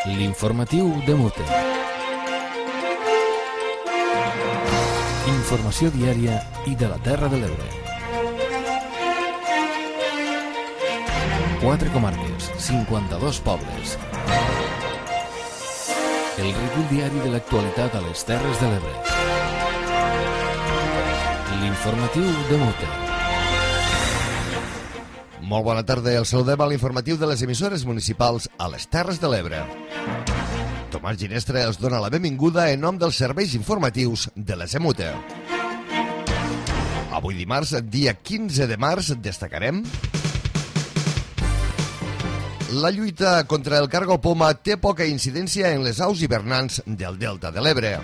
L'informatiu de Mute. Informació diària i de la Terra de l'Ebre. 4 comarques, 52 pobles. El recull diari de l'actualitat a les Terres de l'Ebre. L'informatiu de Mute. Molt bona tarda, el saludem a l'informatiu de les emissores municipals a les Terres de l'Ebre. Tomàs Ginestra els dona la benvinguda en nom dels serveis informatius de les EMUTE. Avui dimarts, dia 15 de març, destacarem: la lluita contra el cargol poma té poca incidència en les aus hivernants del Delta de l'Ebre.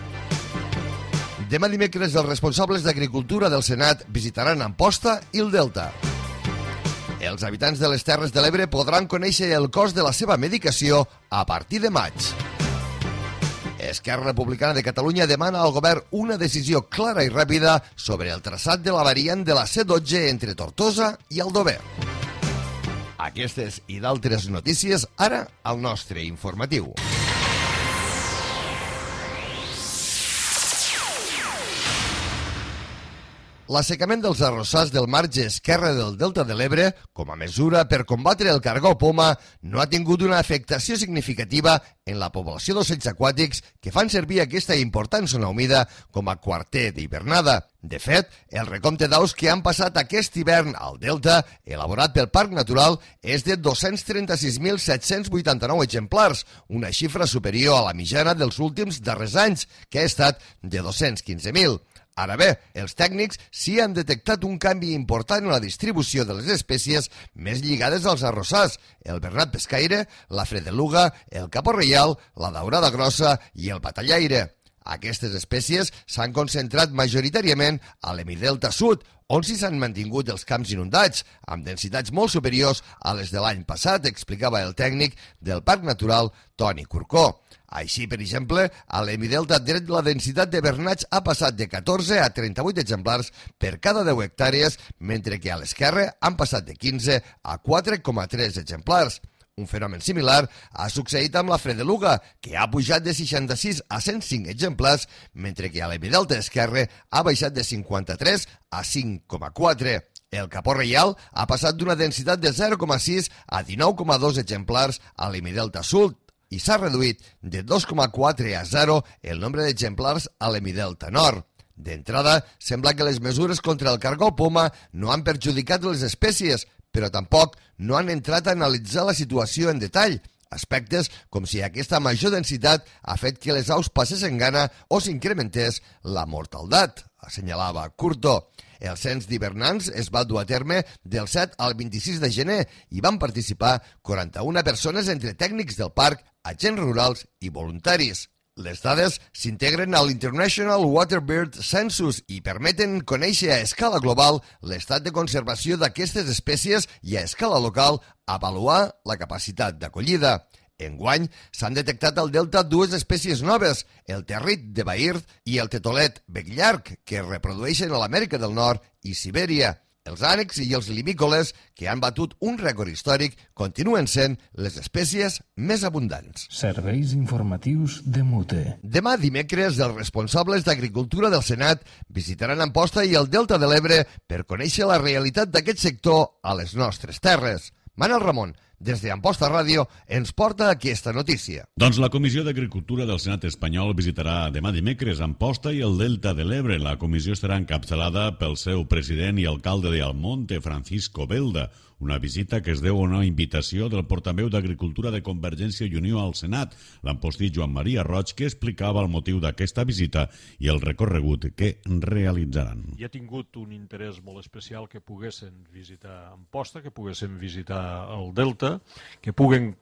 Demà dimecres, els responsables d'Agricultura del Senat visitaran Amposta i el Delta. Els habitants de les Terres de l'Ebre podran conèixer el cost de la seva medicació a partir de maig. Esquerra Republicana de Catalunya demana al govern una decisió clara i ràpida sobre el traçat de la variant de la C12 entre Tortosa i Aldover. Aquestes i d'altres notícies ara al nostre informatiu. L'assecament dels arrossars del marge esquerre del Delta de l'Ebre, com a mesura per combatre el cargol poma, no ha tingut una afectació significativa en la població d'ocells aquàtics que fan servir aquesta important zona humida com a quarter d'hivernada. De fet, el recompte d'aus que han passat aquest hivern al Delta, elaborat pel Parc Natural, és de 236.789 exemplars, una xifra superior a la mitjana dels últims darrers anys, que ha estat de 215.000. Ara bé, els tècnics sí han detectat un canvi important en la distribució de les espècies més lligades als arrossars: el bernat pescaire, la fredeluga, el capó reial, la daurada grossa i el batallaire. Aquestes espècies s'han concentrat majoritàriament a l'hemidelta sud, on s'hi s'han mantingut els camps inundats, amb densitats molt superiors a les de l'any passat, explicava el tècnic del Parc Natural, Toni Corcó. Així, per exemple, a l'hemidelta dret la densitat de bernats ha passat de 14 a 38 exemplars per cada 10 hectàrees, mentre que a l'esquerre han passat de 15 a 4,3 exemplars. Un fenomen similar ha succeït amb la fredeluga, que ha pujat de 66 a 105 exemplars, mentre que a l'hemidelta esquerre ha baixat de 53 a 5,4. El capó reial ha passat d'una densitat de 0,6 a 19,2 exemplars a l'hemidelta sud, i s'ha reduït de 2,4 a 0 el nombre d'exemplars a l'hemidelta nord. D'entrada, sembla que les mesures contra el cargol poma no han perjudicat les espècies, però tampoc no han entrat a analitzar la situació en detall, aspectes com si aquesta major densitat ha fet que les aus passessin gana o s'incrementés la mortaldat, assenyalava Curto. El cens d'hivernants es va dur a terme del 7 al 26 de gener i van participar 41 persones entre tècnics del parc, agents rurals i voluntaris. Les dades s'integren a l'International Waterbird Census i permeten conèixer a escala global l'estat de conservació d'aquestes espècies i a escala local avaluar la capacitat d'acollida. Enguany s'han detectat al Delta dues espècies noves, el territ de Bahir i el tetolet becllarg, que es reprodueixen a l'Amèrica del Nord i Sibèria. Els ànecs i els limícoles, que han batut un rècord històric, continuen sent les espècies més abundants. Serveis informatius de Mute. Demà dimecres, els responsables d'Agricultura del Senat visitaran Amposta i el Delta de l'Ebre per conèixer la realitat d'aquest sector a les nostres terres. Manel Ramon, des d'Amposta Ràdio, ens porta aquesta notícia. Doncs la Comissió d'Agricultura del Senat espanyol visitarà demà dimecres Amposta i el Delta de l'Ebre. La comissió estarà encapçalada pel seu president i alcalde de Almonte, Francisco Belda. Una visita que es deu a una invitació del portaveu d'Agricultura de Convergència i Unió al Senat, l'ampostí Joan Maria Roig, que explicava el motiu d'aquesta visita i el recorregut que realitzaran. Hi ha tingut un interès molt especial que poguessin visitar Amposta, que poguessin visitar el Delta, que puguen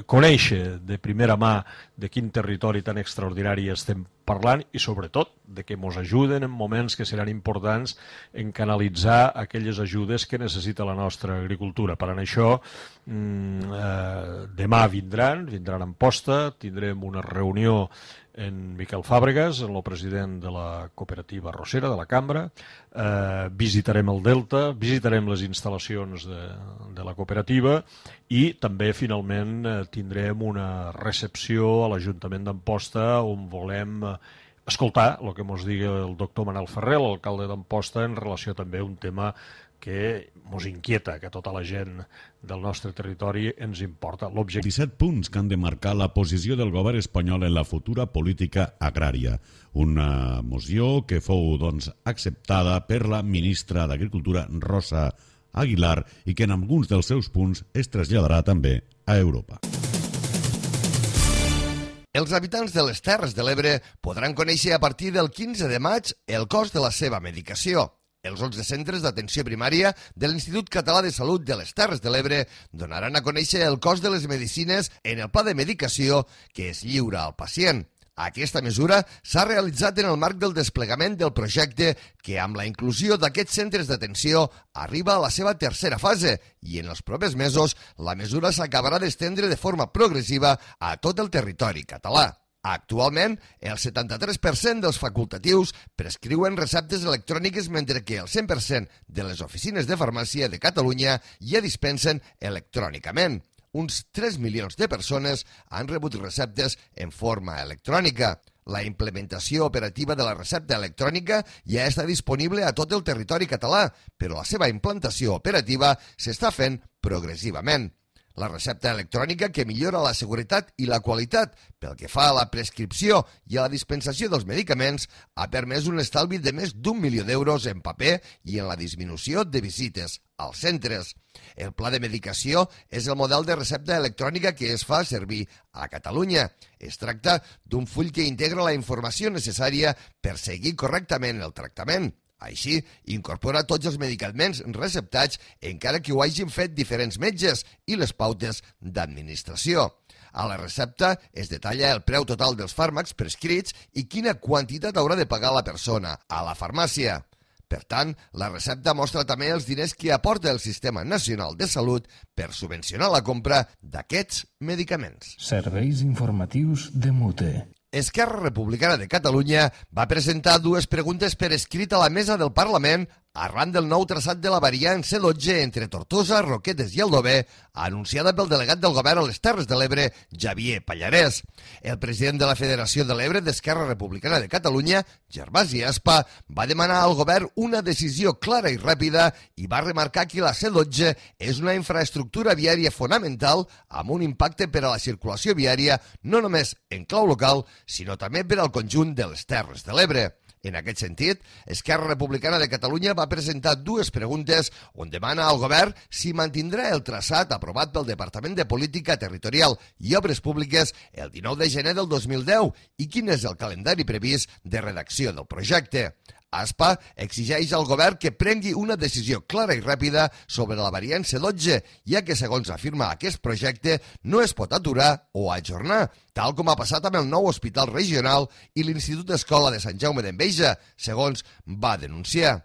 conèixer de primera mà de quin territori tan extraordinari estem parlant i sobretot de que ens ajuden en moments que seran importants en canalitzar aquelles ajudes que necessita la nostra agricultura. Per això demà vindran a Amposta, tindrem una reunió en Miquel Fàbregas, el president de la cooperativa arrossera, de la Cambra, visitarem el Delta, visitarem les instal·lacions de la cooperativa i també finalment tindrem una recepció a l'Ajuntament d'Amposta on volem escoltar el que ens digui el doctor Manel Ferrer, l'alcalde d'Amposta, en relació també a un tema que ens inquieta, que tota la gent del nostre territori ens importa. 17 punts que han de marcar la posició del govern espanyol en la futura política agrària. Una moció que fou acceptada per la ministra d'Agricultura, Rosa Aguilar, i que en alguns dels seus punts es traslladarà també a Europa. Els habitants de les Terres de l'Ebre podran conèixer a partir del 15 de maig el cost de la seva medicació. Els 11 centres d'atenció primària de l'Institut Català de Salut de les Terres de l'Ebre donaran a conèixer el cost de les medicines en el pla de medicació que es lliura al pacient. Aquesta mesura s'ha realitzat en el marc del desplegament del projecte que, amb la inclusió d'aquests centres d'atenció, arriba a la seva tercera fase i en els propers mesos la mesura s'acabarà d'estendre de forma progressiva a tot el territori català. Actualment, el 73% dels facultatius prescriuen receptes electròniques, mentre que el 100% de les oficines de farmàcia de Catalunya ja dispensen electrònicament. Uns 3 milions de persones han rebut receptes en forma electrònica. La implementació operativa de la recepta electrònica ja està disponible a tot el territori català, però la seva implantació operativa s'està fent progressivament. La recepta electrònica, que millora la seguretat i la qualitat pel que fa a la prescripció i a la dispensació dels medicaments, ha permès un estalvi de més d'1 milió d'euros en paper i en la disminució de visites als centres. El pla de medicació és el model de recepta electrònica que es fa servir a Catalunya. Es tracta d'un full que integra la informació necessària per seguir correctament el tractament. Així, incorpora tots els medicaments receptats, encara que ho hagin fet diferents metges, i les pautes d'administració. A la recepta es detalla el preu total dels fàrmacs prescrits i quina quantitat haurà de pagar la persona a la farmàcia. Per tant, la recepta mostra també els diners que aporta el Sistema Nacional de Salut per subvencionar la compra d'aquests medicaments. Serveis informatius de Mute. Esquerra Republicana de Catalunya va presentar 2 preguntes per escrit a la mesa del Parlament arran del nou traçat de la variant C12 entre Tortosa, Roquetes i Aldover, anunciada pel delegat del govern a les Terres de l'Ebre, Xavier Pallarès. El president de la Federació de l'Ebre d'Esquerra Republicana de Catalunya, Gervasi Aspa, va demanar al govern una decisió clara i ràpida i va remarcar que la C12 és una infraestructura viària fonamental amb un impacte per a la circulació viària no només en clau local, sinó també per al conjunt de les Terres de l'Ebre. En aquest sentit, Esquerra Republicana de Catalunya va presentar 2 preguntes on demana al govern si mantindrà el traçat aprovat pel Departament de Política Territorial i Obres Públiques el 19 de gener del 2010 i quin és el calendari previst de redacció del projecte. Aspa exigeix al govern que prengui una decisió clara i ràpida sobre la variant C12, ja que, segons afirma aquest projecte, no es pot aturar o ajornar, tal com ha passat amb el nou hospital regional i l'Institut d'Escola de Sant Jaume d'Enveja, segons va denunciar.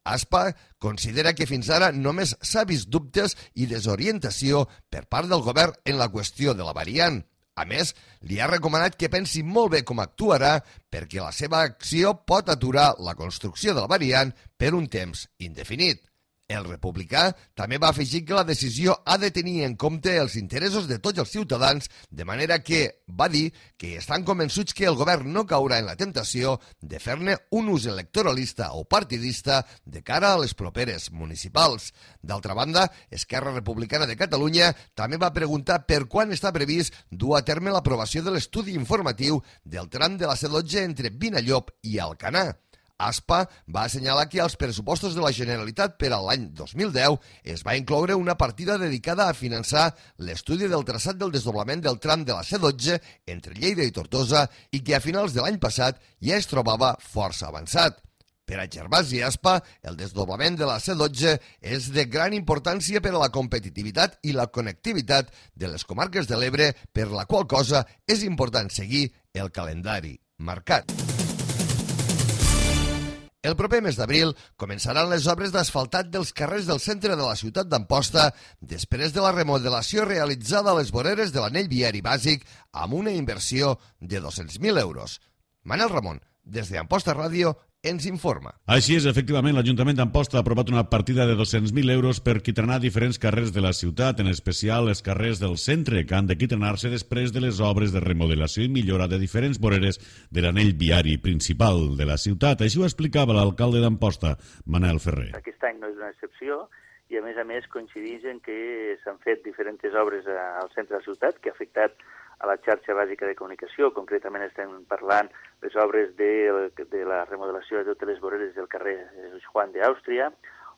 Aspa considera que fins ara només s'ha vist dubtes i desorientació per part del govern en la qüestió de la variant. A més, li ha recomanat que pensi molt bé com actuarà perquè la seva acció pot aturar la construcció de la variant per un temps indefinit. El republicà també va afegir que la decisió ha de tenir en compte els interessos de tots els ciutadans, de manera que va dir que estan convençuts que el govern no caurà en la temptació de fer-ne un ús electoralista o partidista de cara a les properes municipals. D'altra banda, Esquerra Republicana de Catalunya també va preguntar per quan està previst dur a terme l'aprovació de l'estudi informatiu del tram de la C12 entre Vinallop i Alcanar. Aspa va assenyalar que als pressupostos de la Generalitat per a l'any 2010 es va incloure una partida dedicada a finançar l'estudi del traçat del desdoblament del tram de la C12 entre Lleida i Tortosa i que a finals de l'any passat ja es trobava força avançat. Per a Gervasi Aspa, el desdoblament de la C12 és de gran importància per a la competitivitat i la connectivitat de les comarques de l'Ebre, per la qual cosa és important seguir el calendari marcat. El proper mes d'abril començaran les obres d'asfaltat dels carrers del centre de la ciutat d'Amposta després de la remodelació realitzada a les voreres de l'anell viari bàsic amb una inversió de 200.000 euros. Manel Ramon, des d'Amposta Ràdio, ens informa. Així és, efectivament, l'Ajuntament d'Amposta ha aprovat una partida de 200.000 euros per quitranar diferents carrers de la ciutat, en especial els carrers del centre, que han de quitranar-se després de les obres de remodelació i millora de diferents voreres de l'anell viari principal de la ciutat. Així ho explicava l'alcalde d'Amposta, Manel Ferrer. Aquest any no és una excepció i, a més, coincideix en que s'han fet diferents obres al centre de la ciutat que ha afectat a la xarxa bàsica de comunicació. Concretament estem parlant les obres de la remodelació de totes les voreres del carrer Juan de Àustria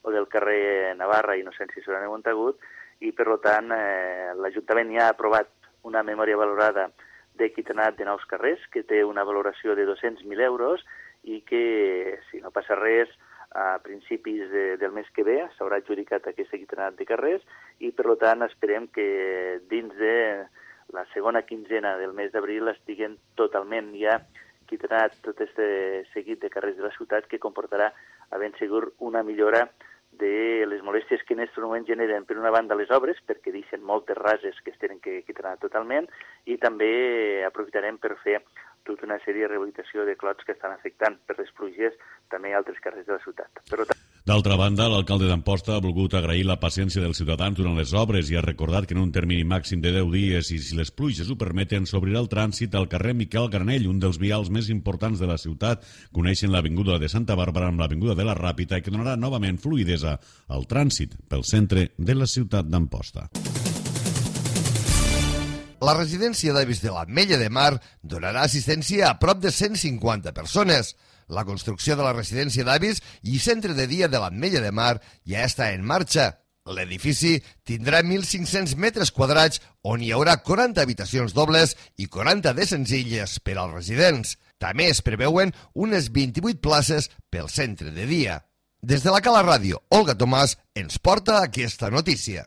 o del carrer Navarra, Innocència i Sorana i Montagut, i per tant l'Ajuntament ja ha aprovat una memòria valorada de quitranat de nous carrers que té una valoració de 200.000 euros i que, si no passa res, a principis del mes que ve s'haurà adjudicat aquest quitranat de carrers i per tant esperem que dins de la segona quinzena del mes d'abril estiguen totalment ja quitranat tot aquest seguit de carrers de la ciutat que comportarà a ben segur una millora de les molèsties que en aquest moment generen, per una banda, les obres, perquè deixen moltes rases que es tenen que quitranar totalment, i també aprofitarem per fer tota una sèrie de rehabilitació de clots que estan afectant per les pluges també altres carrers de la ciutat. D'altra banda, l'alcalde d'Amposta ha volgut agrair la paciència dels ciutadans durant les obres i ha recordat que en un termini màxim de 10 dies, i si les pluges ho permeten, s'obrirà el trànsit al carrer Miquel Granell, un dels vials més importants de la ciutat, coneixen l'avinguda de Santa Bàrbara amb l'avinguda de la Ràpita i que donarà novament fluïdesa al trànsit pel centre de la ciutat d'Amposta. La residència d'avis de l'Ametlla de Mar donarà assistència a prop de 150 persones. La construcció de la residència d'avis i centre de dia de l'Ametlla de Mar ja està en marxa. L'edifici tindrà 1.500 metres quadrats on hi haurà 40 habitacions dobles i 40 de senzilles per als residents. També es preveuen unes 28 places pel centre de dia. Des de la Cala Ràdio, Olga Tomàs ens porta aquesta notícia.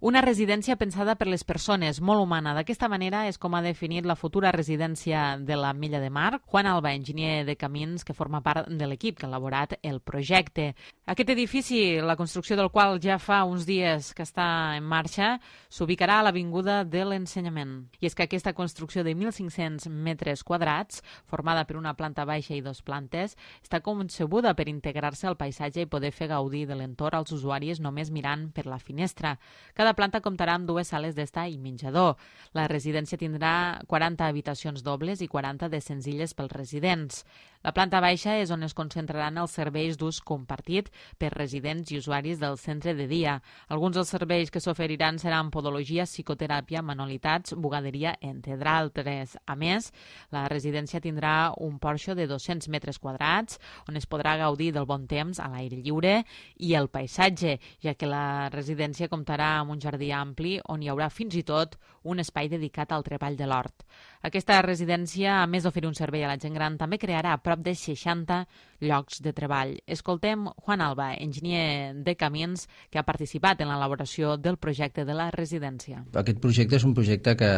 Una residència pensada per les persones, molt humana. D'aquesta manera és com ha definit la futura residència de l'Ametlla de Mar, Juan Alba, enginyer de camins que forma part de l'equip que ha elaborat el projecte. Aquest edifici, la construcció del qual ja fa uns dies que està en marxa, s'ubicarà a l'Avinguda de l'Ensenyament. I és que aquesta construcció de 1.500 metres quadrats, formada per una planta baixa i 2 plantes, està concebuda per integrar-se al paisatge i poder fer gaudir de l'entorn als usuaris només mirant per la finestra. Cada planta comptarà amb 2 sales d'estar i menjador. La residència tindrà 40 habitacions dobles i 40 de senzilles pels residents. La planta baixa és on es concentraran els serveis d'ús compartit per residents i usuaris del centre de dia. Alguns dels serveis que s'oferiran seran podologia, psicoteràpia, manualitats, bugaderia, entre d'altres. A més, la residència tindrà un porxo de 200 metres quadrats on es podrà gaudir del bon temps a l'aire lliure i el paisatge, ja que la residència comptarà amb un jardí ampli on hi haurà fins i tot un espai dedicat al treball de l'hort. Aquesta residència, a més d'oferir un servei a la gent gran, també crearà prop de 60 llocs de treball. Escoltem Juan Alba, enginyer de camins, que ha participat en l'elaboració del projecte de la residència. Aquest projecte és un projecte que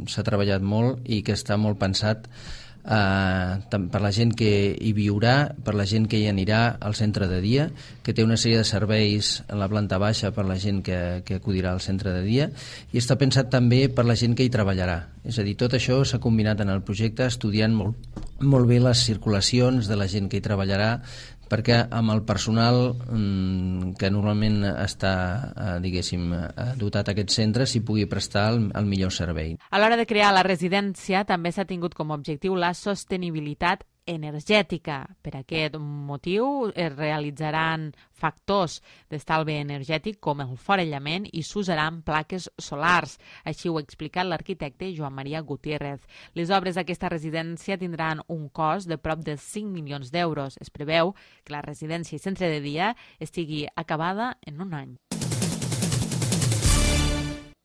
s'ha treballat molt i que està molt pensat per la gent que hi viurà, per la gent que hi anirà al centre de dia, que té una sèrie de serveis en la planta baixa per la gent que acudirà al centre de dia, i està pensat també per la gent que hi treballarà. És a dir, tot això s'ha combinat en el projecte estudiant molt bé les circulacions de la gent que hi treballarà, perquè amb el personal que normalment està, dotat a aquest centre, s'hi pugui prestar el millor servei. A l'hora de crear la residència també s'ha tingut com a objectiu la sostenibilitat energètica. Per aquest motiu es realitzaran factors d'estalvi energètic com el forellament i s'usaran plaques solars. Així ho ha explicat l'arquitecte Joan Maria Gutiérrez. Les obres d'aquesta residència tindran un cost de prop de 5 milions d'euros. Es preveu que la residència i centre de dia estigui acabada en un any.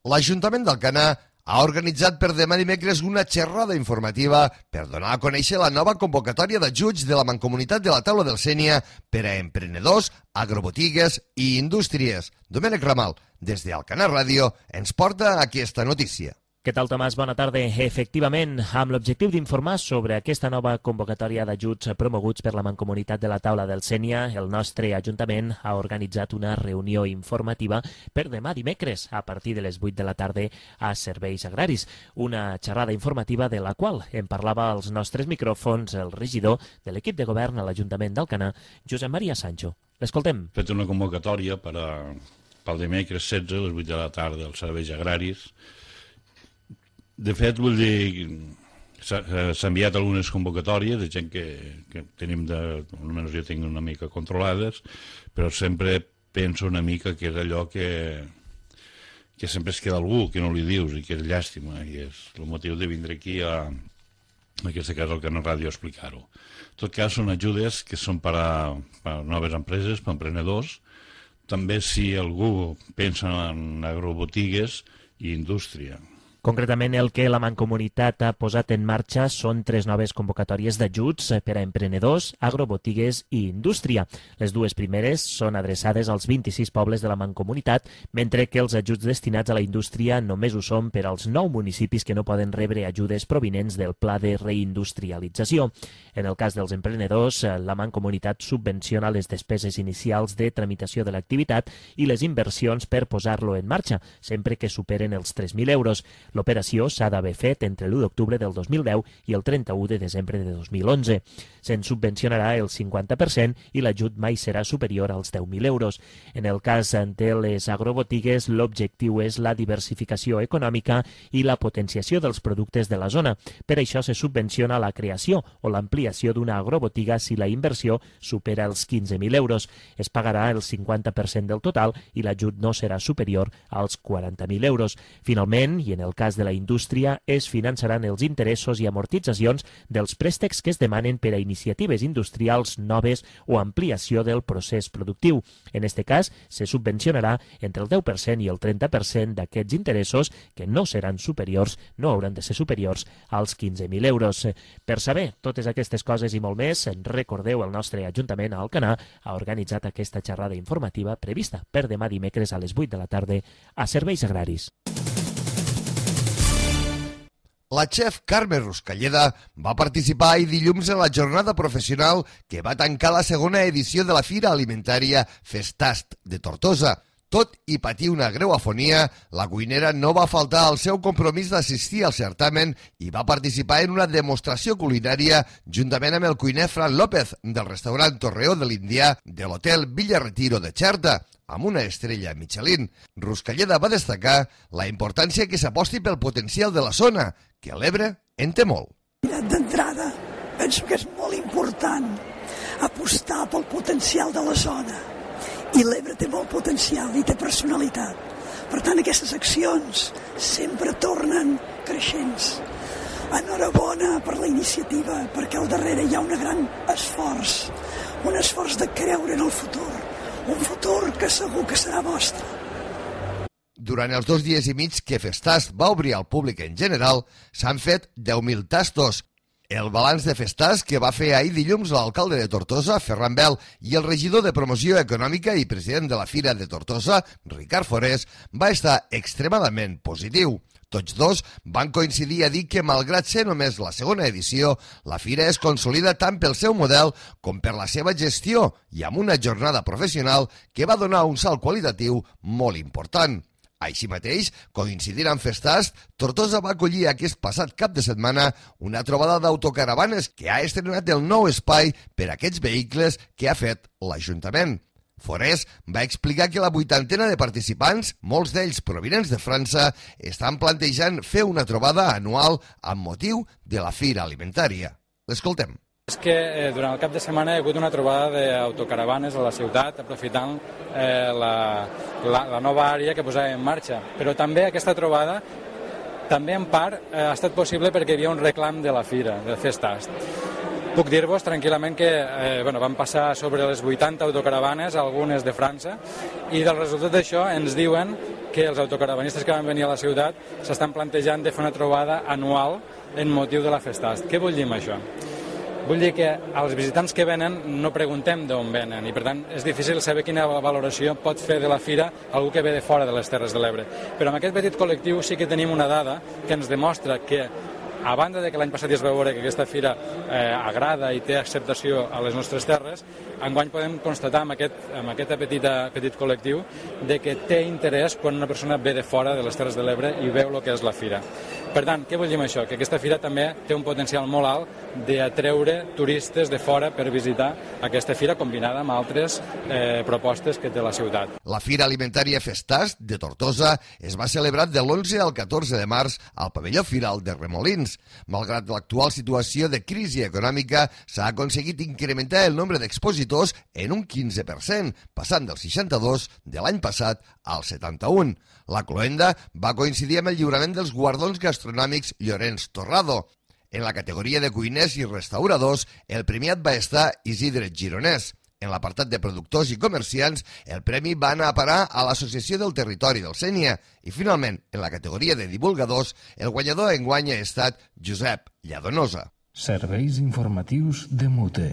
L'Ajuntament d'Alcanar ha organitzat per demà dimecres una xerrada informativa per donar a conèixer la nova convocatòria d'ajuts de la Mancomunitat de la Taula del Sénia per a emprenedors, agrobotigues i indústries. Domènec Ramal, des d'Alcanar Ràdio, ens porta aquesta notícia. Què tal, Tomàs? Bona tarda. Efectivament, amb l'objectiu d'informar sobre aquesta nova convocatòria d'ajuts promoguts per la Mancomunitat de la Taula del Sénia, el nostre Ajuntament ha organitzat una reunió informativa per demà dimecres a partir de les 8 de la tarda a Serveis Agraris. Una xerrada informativa de la qual en parlava als nostres micròfons el regidor de l'equip de govern a l'Ajuntament d'Alcanar, Josep Maria Sancho. L'escoltem. He fet una convocatòria pel dimecres 16 a les 8 de la tarda als Serveis Agraris. De fet, vull dir, s'ha enviat algunes convocatòries de gent que tenim, almenys jo tinc una mica controlades, però sempre penso una mica que és allò que sempre es queda algú, que no li dius, i que és llàstima, i és el motiu de vindre aquí en aquest cas al Canal Ràdio a explicar-ho. En tot cas, són ajudes que són per a noves empreses, per a emprenedors, també si algú pensa en agrobotigues i indústria. Concretament, el que la Mancomunitat ha posat en marxa són 3 noves convocatòries d'ajuts per a emprenedors, agrobotigues i indústria. Les dues primeres són adreçades als 26 pobles de la Mancomunitat, mentre que els ajuts destinats a la indústria només ho són per als 9 municipis que no poden rebre ajudes provinents del Pla de Reindustrialització. En el cas dels emprenedors, la Mancomunitat subvenciona les despeses inicials de tramitació de l'activitat i les inversions per posar-lo en marxa, sempre que superen els 3.000 euros. L'operació s'ha d'haver fet entre l'1 d'octubre del 2010 i el 31 de desembre de 2011. Se'n subvencionarà el 50% i l'ajut mai serà superior als 10.000 euros. En el cas de les agrobotigues, l'objectiu és la diversificació econòmica i la potenciació dels productes de la zona. Per això se subvenciona la creació o l'ampliació d'una agrobotiga si la inversió supera els 15.000 euros. Es pagarà el 50% del total i l'ajut no serà superior als 40.000 euros. Finalment, i en el cas de la indústria, es finançaran els interessos i amortitzacions dels préstecs que es demanen per a iniciatives industrials noves o ampliació del procés productiu. En aquest cas, se subvencionarà entre el 10% i el 30% d'aquests interessos que no seran superiors, no hauran de ser superiors als 15.000 euros. Per saber totes aquestes coses i molt més, recordeu, el nostre Ajuntament a Alcanar ha organitzat aquesta xerrada informativa prevista per demà dimecres a les 8 de la tarda a Serveis Agraris. La xef Carme Ruscalleda va participar ahir dilluns en la jornada professional que va tancar la segona edició de la Fira Alimentària Festast de Tortosa. Tot i patir una greu afonia, la cuinera no va faltar al seu compromís d'assistir al certamen i va participar en una demostració culinària juntament amb el cuiner Fran López del restaurant Torreó de l'Indià de l'hotel Villa Retiro de Xerta, amb una estrella Michelin. Ruscalleda va destacar la importància que s'aposti pel potencial de la zona, que l'Ebre en té molt. D'entrada, penso que és molt important apostar pel potencial de la zona. I l'Ebre té molt potencial i té personalitat. Per tant, aquestes accions sempre tornen creixents. Enhorabona per la iniciativa, perquè al darrere hi ha un gran esforç, un esforç de creure en el futur, un futur que segur que serà vostre. Durant els 2 dies i mig que Festast va obrir al públic en general, s'han fet 10.000 tastos. El balanç de Festast que va fer ahir dilluns l'alcalde de Tortosa, Ferran Bel, i el regidor de Promoció Econòmica i president de la Fira de Tortosa, Ricard Forés, va estar extremadament positiu. Tots dos van coincidir a dir que, malgrat ser només la segona edició, la fira es consolida tant pel seu model com per la seva gestió i amb una jornada professional que va donar un salt qualitatiu molt important. Així mateix, coincidint amb Festast, Tortosa va acollir aquest passat cap de setmana una trobada d'autocaravanes que ha estrenat el nou espai per a aquests vehicles que ha fet l'Ajuntament. Forés va explicar que la 80ena de participants, molts d'ells provinents de França, estan plantejant fer una trobada anual amb motiu de la Fira Alimentària. L'escoltem. És que durant el cap de setmana hi ha hagut una trobada d'autocaravanes a la ciutat, aprofitant la nova àrea que posàvem en marxa. Però també aquesta trobada, també en part, ha estat possible perquè hi havia un reclam de la fira, de Festast. Puc dir-vos tranquil·lament que van passar sobre les 80 autocaravanes, algunes de França, i del resultat d'això ens diuen que els autocaravanistes que van venir a la ciutat s'estan plantejant de fer una trobada anual en motiu de la Festast. Què vull dir amb això? Vull dir que als visitants que venen no preguntem d'on venen i per tant és difícil saber quina valoració pot fer de la fira algú que ve de fora de les Terres de l'Ebre. Però amb aquest petit col·lectiu sí que tenim una dada que ens demostra que a banda de que l'any passat ja es va veure que aquesta fira agrada i té acceptació a les nostres terres, enguany podem constatar amb aquest petit col·lectiu de que té interès quan una persona ve de fora de les Terres de l'Ebre i veu el que és la fira. Per tant, què vull dir amb això? Que aquesta fira també té un potencial molt alt d'atreure turistes de fora per visitar aquesta fira combinada amb altres propostes que té la ciutat. La Fira Alimentària Festàs de Tortosa es va celebrar de l'11 al 14 de març al pavelló Firal de Remolins. Malgrat l'actual situació de crisi econòmica, s'ha aconseguit incrementar el nombre d'expositors en un 15%, passant del 62 de l'any passat al 71. La cloenda va coincidir amb el lliurament dels guardons gastronòmics Llorenç Torrado. En la categoria de cuiners i restauradors, el premiat va estar Isidre Gironès. En l'apartat de productors i comerciants, el premi va anar a parar a l'Associació del Territori del Sénia i, finalment, en la categoria de divulgadors, el guanyador enguany ha estat Josep Lladonosa. Serveis informatius de Mute.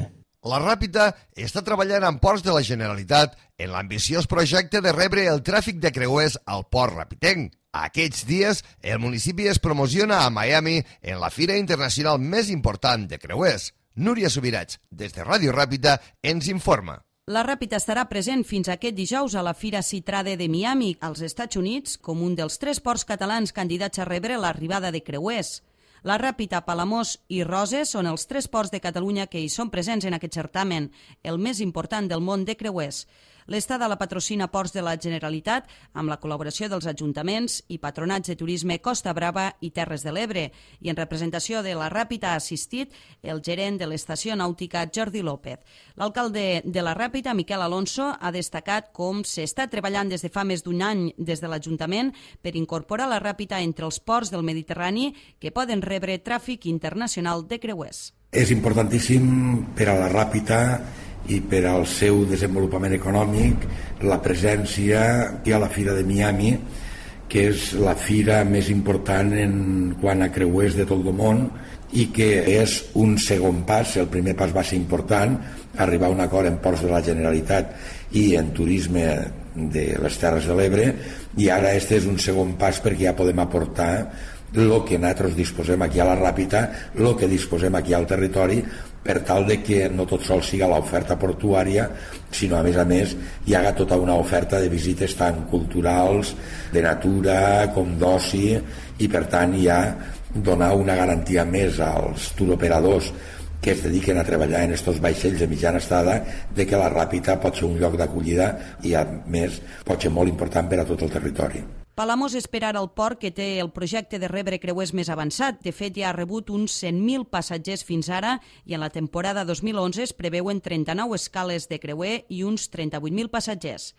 La Ràpita està treballant amb ports de la Generalitat en l'ambiciós projecte de rebre el tràfic de creuers al port rapitenc. Aquests dies, el municipi es promociona a Miami en la fira internacional més important de creuers. Núria Subirats, des de Ràdio Ràpita, ens informa. La Ràpita estarà present fins aquest dijous a la Fira Citrade de Miami, als Estats Units, com un dels 3 ports catalans candidats a rebre l'arribada de creuers. La Ràpita, Palamós i Roses són els 3 ports de Catalunya que hi són presents en aquest certamen, el més important del món de creuers. L'estada la patrocina Ports de la Generalitat amb la col·laboració dels ajuntaments i patronats de turisme Costa Brava i Terres de l'Ebre, i en representació de la Ràpita ha assistit el gerent de l'estació nàutica Jordi López. L'alcalde de la Ràpita, Miquel Alonso, ha destacat com s'està treballant des de fa més d'un any des de l'Ajuntament per incorporar la Ràpita entre els ports del Mediterrani que poden rebre tràfic internacional de creuers. És importantíssim per a la Ràpita i per al seu desenvolupament econòmic la presència aquí a la Fira de Miami, que és la fira més important en quant a creuers de tot el món i que és un segon pas. El primer pas va ser important, arribar a un acord en ports de la Generalitat i en turisme de les Terres de l'Ebre, i ara este és un segon pas perquè ja podem aportar el que nosaltres disposem aquí a la Ràpita, el que disposem aquí al territori, per tal de que no tot sol siga l'oferta portuària, sinó a més hi haga tota una oferta de visites tant culturals, de natura com d'oci, i per tant ja donar una garantia més als turoperadors que es dediquen a treballar en estos vaixells de mitjana estada, de que la Ràpita pot ser un lloc d'acollida i a més pot ser molt important per a tot el territori. Palamós espera el port que té el projecte de rebre creuers més avançat. De fet, ja ha rebut uns 100.000 passatgers fins ara i en la temporada 2011 es preveuen 39 escales de creuer i uns 38.000 passatgers.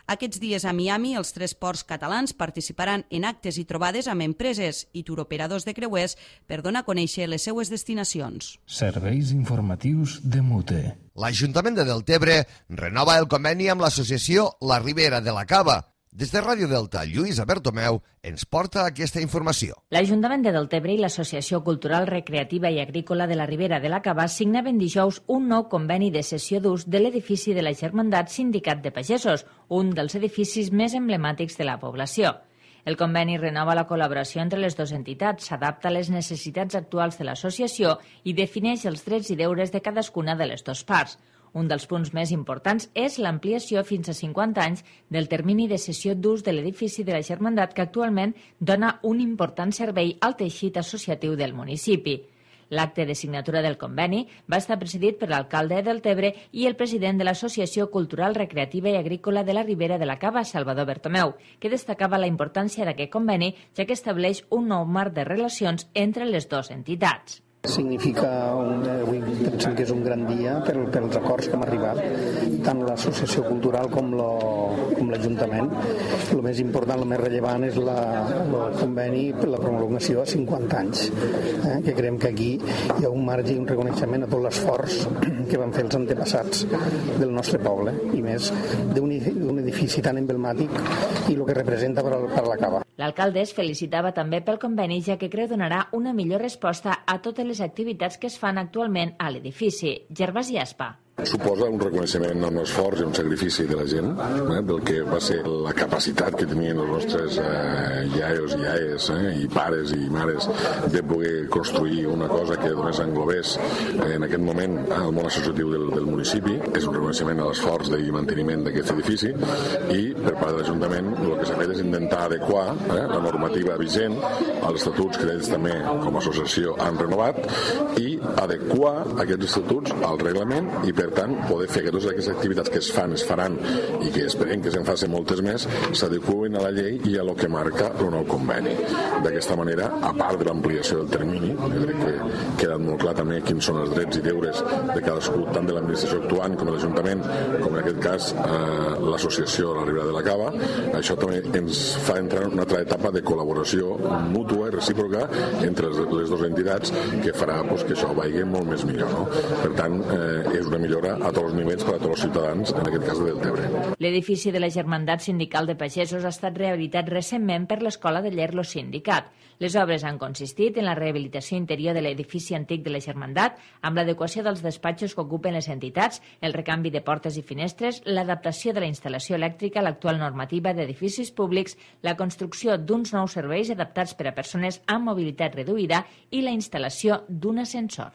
Aquests dies a Miami, els 3 ports catalans participaran en actes i trobades amb empreses i turoperadors de creuers per donar a conèixer les seues destinacions. Serveis informatius de Mute. L'Ajuntament de Deltebre renova el conveni amb l'associació La Ribera de la Cava. Des de Ràdio Delta, Lluïsa Bertomeu ens porta aquesta informació. L'Ajuntament de Deltebre i l'Associació Cultural, Recreativa i Agrícola de la Ribera de la Cava signaven dijous un nou conveni de cessió d'ús de l'edifici de la Germandat Sindicat de Pagesos, un dels edificis més emblemàtics de la població. El conveni renova la col·laboració entre les dues entitats, s'adapta a les necessitats actuals de l'associació i defineix els drets i deures de cadascuna de les dues parts. Un dels punts més importants és l'ampliació fins a 50 anys del termini de cessió d'ús de l'edifici de la Germandat, que actualment dona un important servei al teixit associatiu del municipi. L'acte de signatura del conveni va estar presidit per l'alcalde de Deltebre i el president de l'Associació Cultural, Recreativa i Agrícola de la Ribera de la Cava, Salvador Bertomeu, que destacava la importància d'aquest conveni, ja que estableix un nou marc de relacions entre les dues entitats. Significa, avui pensem que és un gran dia pels acords que hem arribat, tant l'associació cultural com l'Ajuntament. El més important, el més rellevant és el conveni per la prolongació a 50 anys, que creiem que aquí hi ha un marge i un reconeixement a tot l'esforç que van fer els antepassats del nostre poble, i més d'un edifici tan emblemàtic i el que representa per a la Cava. L'alcalde es felicitava també pel conveni, ja que creu donarà una millor resposta a totes les activitats que es fan actualment a l'edifici. Gervasi Aspa. Suposa un reconeixement amb l'esforç i un sacrifici de la gent, del que va ser la capacitat que tenien els nostres iaios i iaies i pares i mares de poder construir una cosa que només englobés en aquest moment el món associatiu del municipi. És un reconeixement a l'esforç i manteniment d'aquest edifici i per part de l'Ajuntament el que s'ha fet és intentar adequar la normativa vigent als estatuts que ells també com a associació han renovat i adequar aquests estatuts al reglament i per tant poder fer que totes aquestes activitats que es fan, es faran i que esperem que se'n facin moltes més s'adeqüin a la llei i a lo que marca el nou conveni. D'aquesta manera, a part de l'ampliació del termini, jo crec que ha quedat molt clar també quins són els drets i deures de cadascú, tant de l'administració actuant com de l'Ajuntament, com en aquest cas l'associació a la Ribera de la Cava. Això també ens fa entrar en una altra etapa de col·laboració mútua i recíproca entre les dues entitats que farà que això vagi molt més millor. No? Per tant, és una millora a tots els nivells per a tots els ciutadans, en aquest cas de Deltebre. L'edifici de la Germandat Sindical de Pagesos ha estat rehabilitat recentment per l'Escola de Llerlo Sindicat. Les obres han consistit en la rehabilitació interior de l'edifici antic de la Germandat, amb l'adequació dels despatxos que ocupen les entitats, el recanvi de portes i finestres, l'adaptació de la instal·lació elèctrica a l'actual normativa d'edificis públics, la construcció d'uns nous serveis adaptats per a persones amb mobilitat reduïda i la instal·lació d'un ascensor.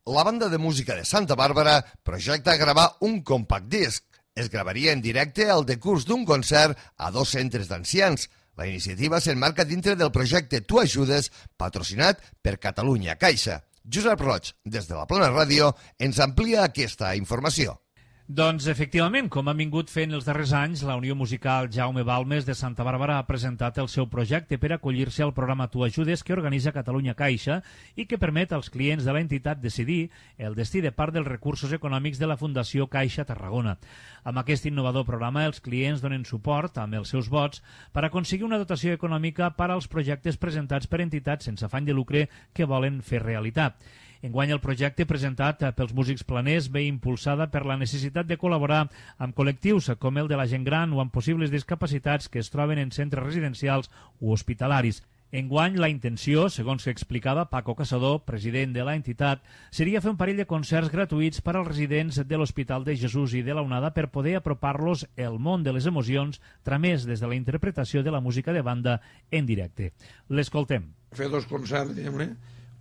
La banda de música de Santa Bàrbara projecta gravar un compact disc. Es gravaria en directe al decurs d'un concert a 2 centres d'ancians. La iniciativa s'emmarca dintre del projecte Tu Ajudes, patrocinat per Catalunya Caixa. Josep Roig, des de la Plana Ràdio, ens amplia aquesta informació. Doncs, efectivament, com han vingut fent els darrers anys, la Unió Musical Jaume Balmes de Santa Bàrbara ha presentat el seu projecte per acollir-se al programa Tu Ajudes que organitza Catalunya Caixa i que permet als clients de l'entitat decidir el destí de part dels recursos econòmics de la Fundació Caixa Tarragona. Amb aquest innovador programa, els clients donen suport amb els seus vots per aconseguir una dotació econòmica per als projectes presentats per entitats sense afany de lucre que volen fer realitat. Enguany el projecte presentat pels músics planers ve impulsada per la necessitat de col·laborar amb col·lectius com el de la gent gran o amb possibles discapacitats que es troben en centres residencials o hospitalaris. Enguany la intenció, segons que explicava Paco Caçador, president de l'entitat, seria fer un parell de concerts gratuïts per als residents de l'Hospital de Jesús i de la Onada per poder apropar-los el món de les emocions tramès des de la interpretació de la música de banda en directe. L'escoltem. Fer 2 concerts, diguem-ne,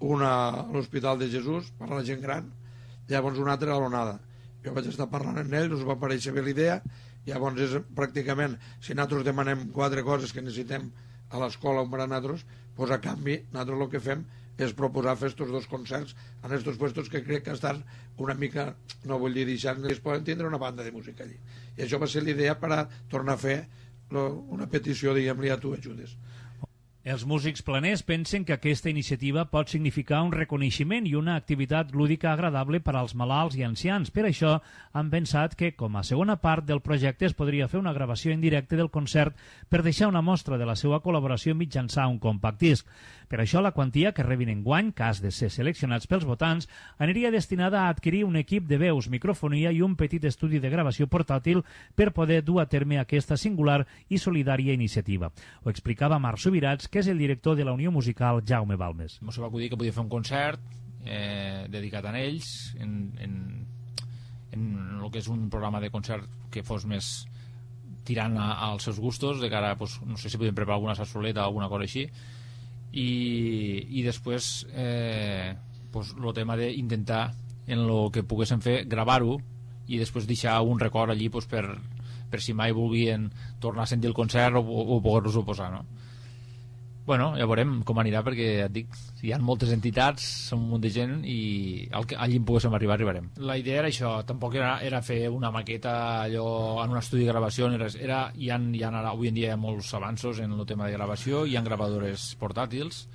un a l'Hospital de Jesús per a la gent gran, llavors un altre a l'Onada. Jo vaig estar parlant amb ells, us va aparèixer bé l'idea, llavors és pràcticament, si nosaltres demanem 4 coses que necessitem a l'escola per a nosaltres, doncs a canvi nosaltres el que fem és proposar fer aquests 2 concerts en aquests puestos que crec que estan una mica, no vull dir deixant, es poden tindre una banda de música allí. I això va ser l'idea per a tornar a fer una petició, diguem-li, a Tu Ajudes. Els músics planers pensen que aquesta iniciativa pot significar un reconeixement i una activitat lúdica agradable per als malalts i ancians. Per això han pensat que, com a segona part del projecte, es podria fer una gravació en directe del concert per deixar una mostra de la seva col·laboració mitjançant un compact disc. Per això la quantia que rebin enguany, cas de ser seleccionats pels votants, aniria destinada a adquirir un equip de veus, microfonia i un petit estudi de gravació portàtil per poder dur a terme aquesta singular i solidària iniciativa. Ho explicava Marc Subirats, que és el director de la Unió Musical Jaume Balmes. Ens va acudir que podia fer un concert dedicat a ells en el que és un programa de concert que fos més tirant als seus gustos, de cara, pues, no sé si podem preparar alguna sarsoleta o alguna cosa així, i després pues, el tema d'intentar en el que poguéssim fer, gravar-ho i després deixar un record allí pues, per si mai volguien tornar a sentir el concert o poder-los-ho posar, no? Bueno, ja veurem com anirà, perquè et dic, hi ha moltes entitats, són un munt de gent i allí en poguéssim arribar, arribarem. La idea era això, tampoc era fer una maqueta allò en un estudi de gravació, hi ha ara, avui en dia hi ha molts avanços en el tema de gravació, hi ha gravadores portàtils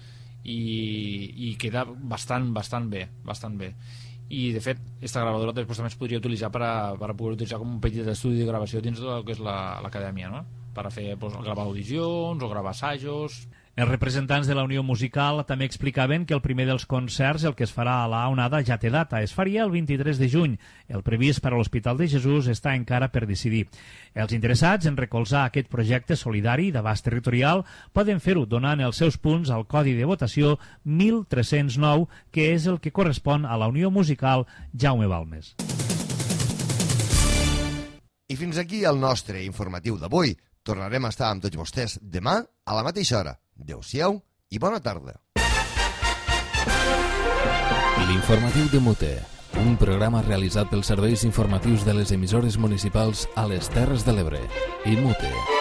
i queda bastant bé. I de fet, aquesta gravadora després també es podria utilitzar per a poder utilitzar com un petit estudi de gravació dins del que és l'acadèmia, no? Per a fer, gravar audicions o gravar assajos. Els representants de la Unió Musical també explicaven que el primer dels concerts, el que es farà a la Onada, ja té data. Es faria el 23 de juny. El previst per a l'Hospital de Jesús està encara per decidir. Els interessats en recolzar aquest projecte solidari d'abast territorial poden fer-ho donant els seus punts al codi de votació 1309, que és el que correspon a la Unió Musical Jaume Balmes. I fins aquí el nostre informatiu d'avui. Tornarem a estar amb tots vostès demà a la mateixa hora. Adéu-siau i bona tarda. L'informatiu de Mute, un programa realitzat pels serveis informatius de les emissores municipals a les Terres de l'Ebre. I Mute.